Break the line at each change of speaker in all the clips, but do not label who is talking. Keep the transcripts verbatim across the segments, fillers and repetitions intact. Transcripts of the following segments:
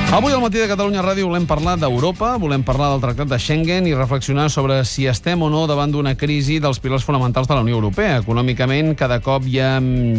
Avui al matí de Catalunya Ràdio volem parlar d'Europa, volem parlar del Tractat de Schengen i reflexionar sobre si estem o no davant d'una crisi dels pilars fonamentals de la Unió Europea. Econòmicament, cada cop hi ha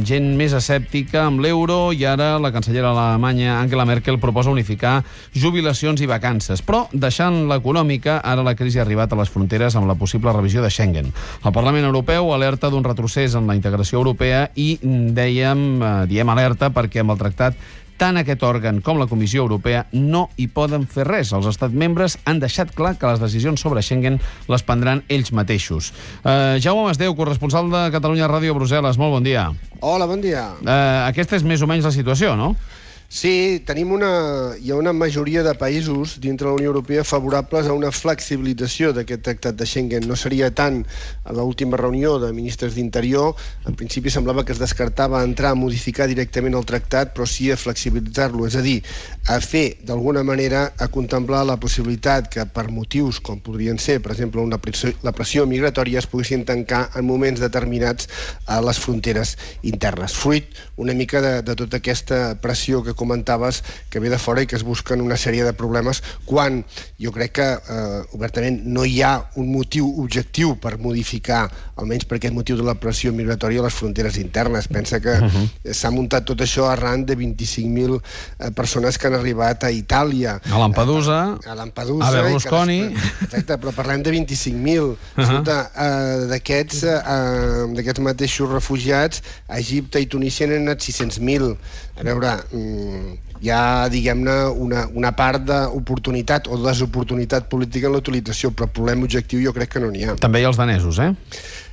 gent més escèptica amb l'euro i ara la cancellera alemanya Angela Merkel proposa unificar jubilacions i vacances. Però, deixant l'econòmica, ara la crisi ha arribat a les fronteres amb la possible revisió de Schengen. El Parlament Europeu alerta d'un retrocés en la integració europea i dèiem, eh, diem alerta perquè amb el tractat tant aquest òrgan com la Comissió Europea no hi poden fer res. Els estats membres han deixat clar que les decisions sobre Schengen les prendran ells mateixos. Uh, Jaume Masdeu, corresponsal de Catalunya Ràdio a Brussel·les, molt bon dia.
Hola, bon dia.
Uh, aquesta és més o menys la situació, no?
Sí, tenim una, hi ha una majoria de països dintre de la Unió Europea favorables a una flexibilització d'aquest tractat de Schengen. No seria tant a l'última reunió de ministres d'Interior. En principi semblava que es descartava entrar a modificar directament el tractat, però sí a flexibilitzar-lo, és a dir, a fer d'alguna manera, a contemplar la possibilitat que per motius com podrien ser, per exemple, una pressió, la pressió migratòria, es poguessin tancar en moments determinats a les fronteres internes. Fruit una mica de, de tota aquesta pressió que comentaves que ve de fora i que es busquen una sèrie de problemes quan jo crec que eh, obertament no hi ha un motiu objectiu per modificar, almenys per aquest motiu de la pressió migratòria a les fronteres internes. Pensa que uh-huh. s'ha muntat tot això arran de vint-i-cinc mil eh, persones que han arribat a Itàlia.
A Lampedusa,
a, a, Lampedusa,
a Berlusconi.
Que, exacte, però parlem de vint-i-cinc mil. Uh-huh. eh, D'aquests eh, d'aquests mateixos refugiats, a Egipte i Tunísia n'han anat sis-cents mil. A veure, hi ha, diguem-ne, una, una part d'oportunitat o desoportunitat política en la utilització, però problema objectiu jo crec que no n'hi ha.
També hi ha els danesos, eh?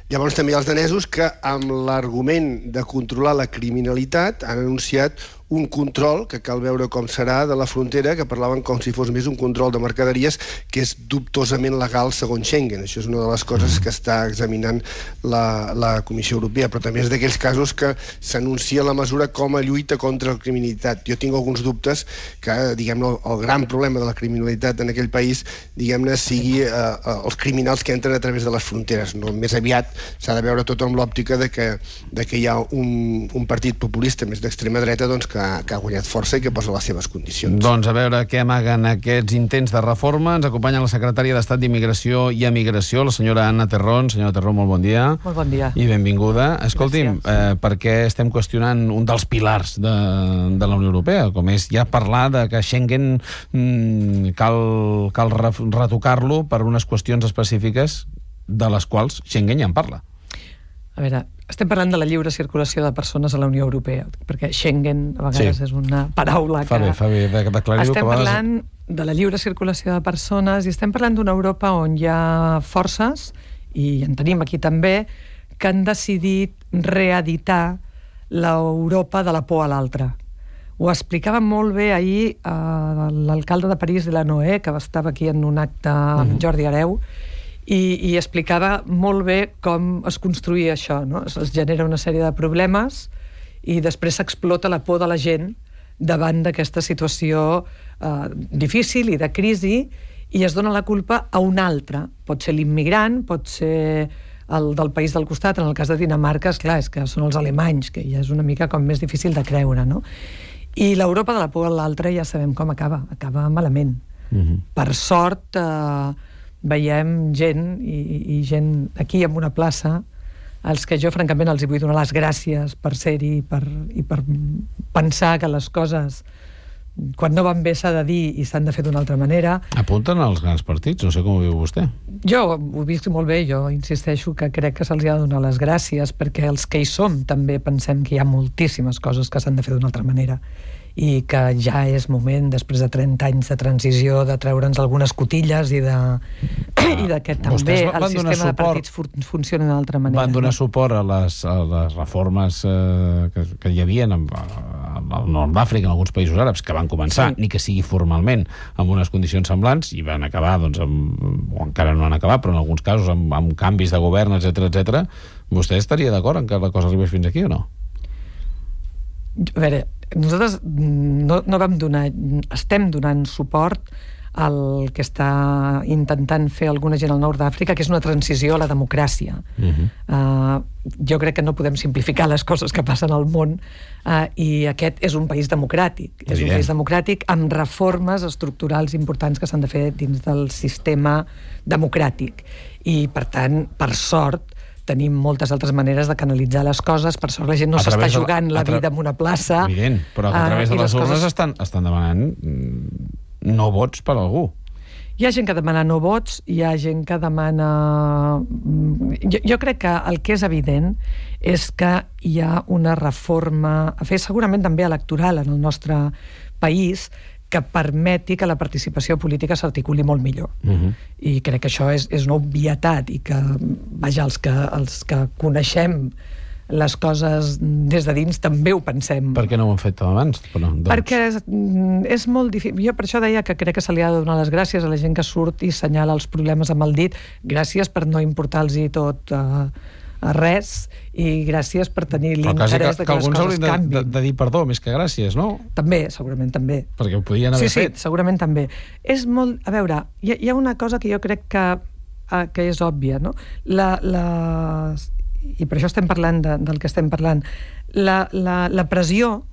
Llavors també hi ha els danesos que, amb l'argument de controlar la criminalitat, han anunciat un control, que cal veure com serà, de la frontera, que parlaven com si fos més un control de mercaderies, que és dubtosament legal segons Schengen. Això és una de les coses que està examinant la, la Comissió Europea, però també és d'aquells casos que s'anuncia la mesura com a lluita contra la criminalitat. Jo tinc alguns dubtes que, diguem-ne, el gran problema de la criminalitat en aquell país, diguem-ne, sigui eh, els criminals que entren a través de les fronteres. No, més aviat s'ha de veure tot amb l'òptica de que, de que hi ha un, un partit populista més d'extrema dreta, doncs, que que ha guanyat força i que posa les seves condicions.
Doncs a veure què amaguen aquests intents de reforma. Ens acompanya la secretària d'Estat d'Immigració i Emigració, la senyora Anna Terrón. Senyora Terrón, molt bon dia.
Molt bon dia.
I benvinguda. Escolti'm, eh, per què estem qüestionant un dels pilars de, de la Unió Europea, com és ja parlar de que Schengen mm, cal, cal retocar-lo per unes qüestions específiques de les quals Schengen ja en parla?
A veure, estem parlant de la lliure circulació de persones a la Unió Europea, perquè Schengen a vegades sí. és una paraula que...
Fa bé, fa bé d'aclarir-ho.
Estem parlant de la lliure circulació de persones i estem parlant d'una Europa on hi ha forces, i en tenim aquí també, que han decidit reeditar l'Europa de la por a l'altre. Ho explicava molt bé ahir eh, l'alcalde de París, Delanoë, que estava aquí en un acte amb Jordi Hereu, I, i explicava molt bé com es construïa això, no? Es genera una sèrie de problemes i després s'explota la por de la gent davant d'aquesta situació eh, difícil i de crisi i es dona la culpa a un altre. Pot ser l'immigrant, pot ser el del país del costat. En el cas de Dinamarca, esclar, és que són els alemanys, que ja és una mica com més difícil de creure, no? I l'Europa de la por a l'altre ja sabem com acaba, acaba malament. Mm-hmm. Per sort... Eh, veiem gent i, i gent aquí en una plaça als que jo francament els hi vull donar les gràcies per ser-hi per, i per pensar que les coses quan no van bé s'ha de dir i s'han de fer d'una altra manera.
Apunten als grans partits, no sé com ho viu vostè.
Jo ho visc molt bé, jo insisteixo que crec que se'ls ha de donar les gràcies perquè els que hi som també pensem que hi ha moltíssimes coses que s'han de fer d'una altra manera i que ja és moment, després de trenta anys de transició, de treure'ns algunes cotilles i de, ah, i de que també el sistema suport, de partits fun funciona d'una altra manera.
Van donar no? suport a les, a les reformes eh, que, que hi havia al nord d'Àfrica, en alguns països àrabs, que van començar, sí. ni que sigui formalment, amb unes condicions semblants, i van acabar, doncs, amb, o encara no han acabat, però en alguns casos amb, amb canvis de govern, etcètera, etcètera. Vostè estaria d'acord en que la cosa arribés fins aquí o no?
A veure, nosaltres no, no vam donar, estem donant suport el que està intentant fer alguna gent al nord d'Àfrica, que és una transició a la democràcia. Uh-huh. uh, jo crec que no podem simplificar les coses que passen al món, uh, i aquest és un país democràtic. Evident. És un país democràtic amb reformes estructurals importants que s'han de fer dins del sistema democràtic. I, per tant, per sort, tenim moltes altres maneres de canalitzar les coses. Per sort, la gent no s'està jugant la vida en una plaça.
Evident, però a través de les urnes estan, estan demanant no vots per algú.
Hi ha gent que demana no vots, hi ha gent que demana... Jo, jo crec que el que és evident és que hi ha una reforma a fer, segurament també electoral en el nostre país, que permeti que la participació política s'articuli molt millor. Uh-huh. I crec que això és, és una obvietat i que, vaja, els que, els que coneixem les coses des de dins també ho pensem.
Per què no ho han fet abans? Però, doncs...
Perquè és, és molt difícil. Jo per això deia que crec que se li ha de donar les gràcies a la gent que surt i senyala els problemes amb el dit. Gràcies per no importar-los tot a, a res, i gràcies per tenir l'interès que, que, que les coses canvin.
Alguns haurien de, de dir perdó, més que gràcies, no?
També, segurament també.
Perquè ho podien haver
sí,
fet.
Sí, segurament també. És molt... A veure, hi ha, hi ha una cosa que jo crec que, que és òbvia, no? La... la i per això estem parlant de, del que estem parlant, la, la, la pressió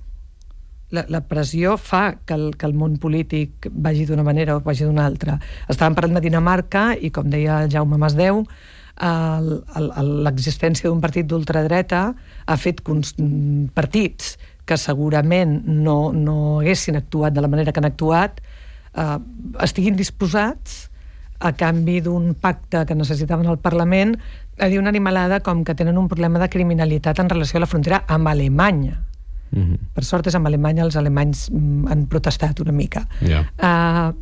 la, la pressió fa que el, que el món polític vagi d'una manera o vagi d'una altra. Estàvem parlant de Dinamarca i, com deia Jaume Masdeu, l'existència d'un partit d'ultradreta ha fet partits que segurament no, no haguessin actuat de la manera que han actuat, eh, estiguin disposats a canvi d'un pacte que necessitaven al Parlament, a dir una animalada com que tenen un problema de criminalitat en relació a la frontera amb Alemanya. Mm-hmm. Per sort és amb Alemanya, els alemanys han protestat una mica. Yeah. Uh,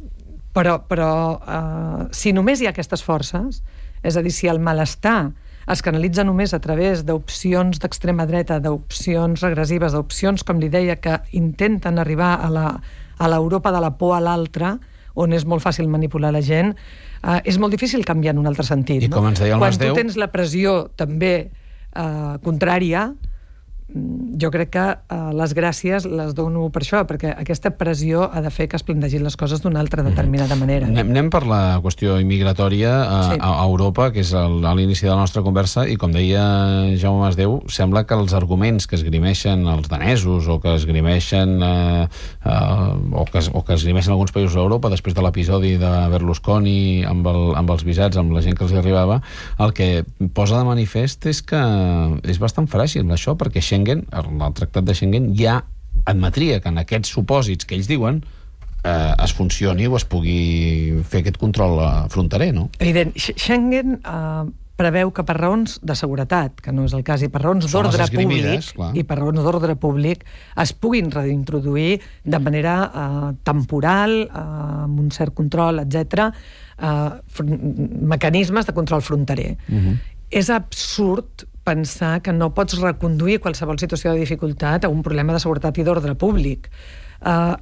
però però uh, si només hi ha aquestes forces, és a dir, si el malestar es canalitza només a través d'opcions d'extrema dreta, d'opcions regressives, d'opcions, com li deia, que intenten arribar a la, a l'Europa de la por a l'altre, on és molt fàcil manipular la gent, uh, és molt difícil canviar en un altre sentit.
I com ens deia el
Quan
Masdeu...
tu tens la pressió també uh, contrària, jo crec que uh, les gràcies les dono per això, perquè aquesta pressió ha de fer que es plantegin les coses d'una altra determinada manera.
Anem, anem per la qüestió immigratòria a, sí. a, a Europa, que és el, a l'inici de la nostra conversa, i com deia Jaume Masdeu, sembla que els arguments que esgrimeixen els danesos o que esgrimeixen eh, eh, o, que, o que esgrimeixen alguns països d'Europa després de l'episodi de Berlusconi amb, el, amb els visats, amb la gent que els arribava, el que posa de manifest és que és bastant fràgil això, perquè Schengen, el tractat de Schengen ja admetria que en aquests supòsits que ells diuen eh, es funcioni o es pugui fer aquest control fronterer, no?
Evident. Schengen eh, preveu que per raons de seguretat, que no és el cas, i per raons d'ordre públic, clar. i per raons d'ordre públic es puguin reintroduir de manera eh, temporal, eh, amb un cert control, etcètera, eh, mecanismes de control fronterer. Uh-huh. És absurd pensar que no pots reconduir qualsevol situació de dificultat a un problema de seguretat i d'ordre públic. Uh,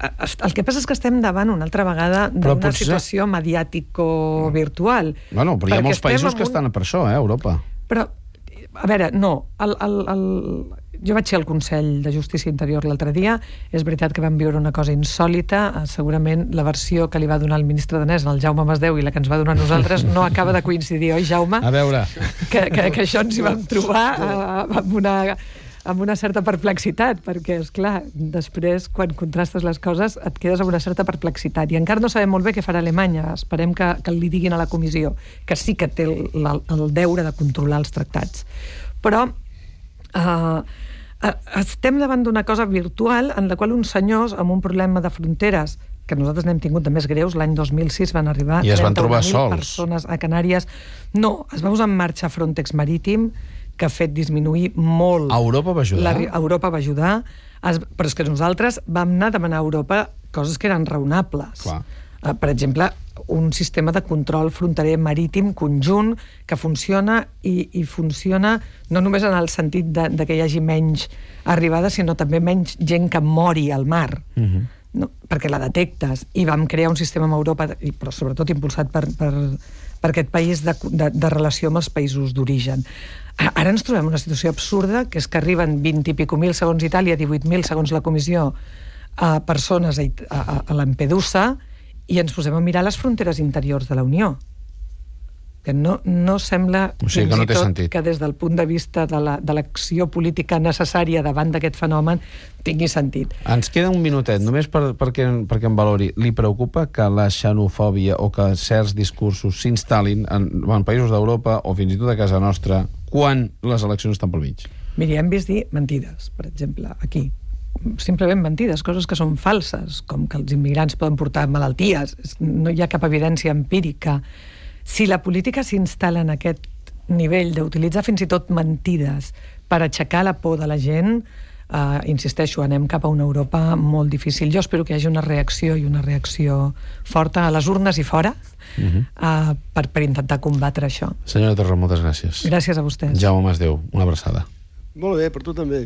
el que passa és que estem davant una altra vegada d'una potser... situació mediàtico-virtual.
Bueno, però hi ha molts països un... que estan per això, eh, a Europa.
Però, a veure, no. El, el, el... Jo vaig ser al Consell de Justícia Interior l'altre dia. És veritat que vam viure una cosa insòlita. Segurament la versió que li va donar el ministre danès al Jaume Masdeu i la que ens va donar a nosaltres no acaba de coincidir, oi, Jaume?
A veure...
Que, que, que això ens hi vam trobar uh, amb una... amb una certa perplexitat, perquè, esclar, després, quan contrastes les coses, et quedes amb una certa perplexitat. I encara no sabem molt bé què farà Alemanya. Esperem que, que li diguin a la comissió, que sí que té el, el deure de controlar els tractats. Però eh, estem davant d'una cosa virtual en la qual uns senyors amb un problema de fronteres que nosaltres n'hem tingut de més greus, l'any dos mil sis van arribar
I es van trobar sols.
Persones a Canàries. No, es va posar en marxa Frontex Marítim, que ha fet disminuir molt...
Europa va ajudar?
La, Europa va ajudar, es, però és que nosaltres vam anar a demanar a Europa coses que eren raonables. Uh, per exemple, un sistema de control fronterer marítim conjunt que funciona i, i funciona no només en el sentit de, de que hi hagi menys arribades, sinó també menys gent que mori al mar. Uh-huh. No? Perquè la detectes. I vam crear un sistema amb Europa, però sobretot impulsat per, per, per aquest país de, de, de relació amb els països d'origen. Ara ens trobem una situació absurda, que és que arriben vint i pico mil segons Itàlia, divuit mil segons la comissió, a persones a, a, a Lampedusa, i ens posem a mirar les fronteres interiors de la Unió, que no, no sembla
o sigui,
fins
que no
i
té
tot
sentit.
que des del punt de vista de la, de l'acció política necessària davant d'aquest fenomen tingui sentit.
Ens queda un minutet, només per, perquè, perquè em valori. Li preocupa que la xenofòbia o que certs discursos s'instal·lin en, en països d'Europa o fins i tot a casa nostra quan les eleccions estan pel mig?
Miri, hem vist dir mentides, per exemple, aquí. Simplement mentides, coses que són falses, com que els immigrants poden portar malalties. No hi ha cap evidència empírica. Si la política s'instal·la en aquest nivell d'utilitzar fins i tot mentides per aixecar la por de la gent, eh, insisteixo, anem cap a una Europa molt difícil. Jo espero que hi hagi una reacció i una reacció forta a les urnes i fora uh-huh. eh, per, per intentar combatre això.
Senyora Torra, moltes gràcies.
Gràcies a vostès.
Jaume Masdeu, una abraçada.
Molt bé, per tu també.